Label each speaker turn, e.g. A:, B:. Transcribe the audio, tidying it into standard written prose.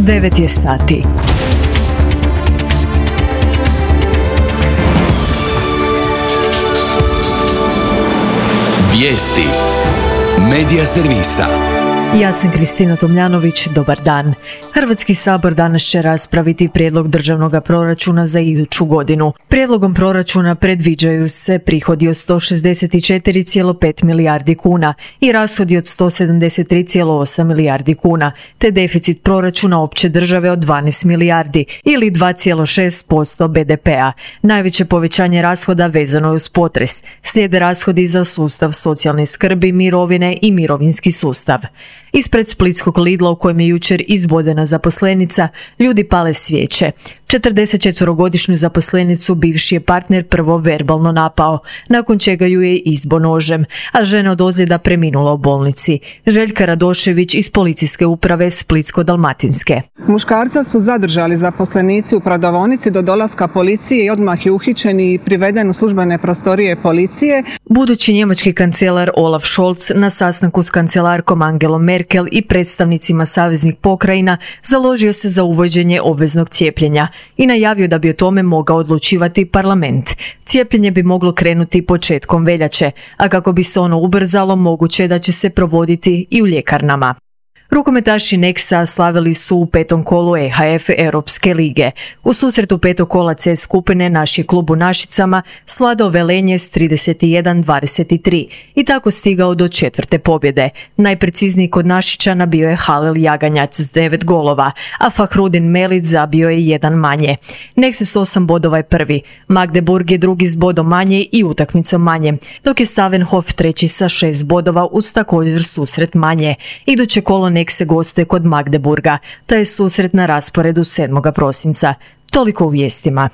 A: 9 je sati.
B: Vijesti Medija servisa.
A: Ja sam Kristina Tomljanović, dobar dan. Hrvatski sabor danas će raspraviti prijedlog državnog proračuna za iduću godinu. Prijedlogom proračuna predviđaju se prihodi od 164,5 milijardi kuna i rashodi od 173,8 milijardi kuna, te deficit proračuna opće države od 12 milijardi ili 2,6% BDP-a. Najveće povećanje rashoda vezano je uz potres. Slijede rashodi za sustav socijalne skrbi, mirovine i mirovinski sustav. Ispred splitskog Lidla u kojem je jučer izbodena zaposlenica, ljudi pale svijeće. 44-godišnju zaposlenicu bivši je partner prvo verbalno napao, nakon čega ju je izbo nožem, a žena od ozljeda preminula u bolnici. Željka Radošević iz policijske uprave Splitsko-dalmatinske.
C: Muškarca su zadržali zaposlenici u prodavaonici do dolaska policije i odmah je uhićen i priveden u službene prostorije policije.
A: Budući njemački kancelar Olaf Scholz na sastanku s kancelarkom Angelom Merkel i predstavnicima saveznih pokrajina založio se za uvođenje obveznog cijepljenja i najavio da bi o tome mogao odlučivati parlament. Cijepljenje bi moglo krenuti početkom veljače, a kako bi se ono ubrzalo, moguće je da će se provoditi i u ljekarnama. Rukometaši Nexa slavili su u petom kolu EHF Europske lige. U susretu petog kola C skupine naš je klub u Našicama svladao Velenje s 31-23 i tako stigao do četvrte pobjede. Najprecizniji kod Našičana bio je Halil Jaganjac s 9 golova, a Fahrudin Melić zabio je jedan manje. Nexa s 8 bodova je prvi, Magdeburg je drugi s bodom manje i utakmicom manje, dok je Savenhof treći sa 6 bodova uz također susret manje. Iduće kolo Nexe gostuje kod Magdeburga, taj je susret na rasporedu 7. prosinca. Toliko u vijestima.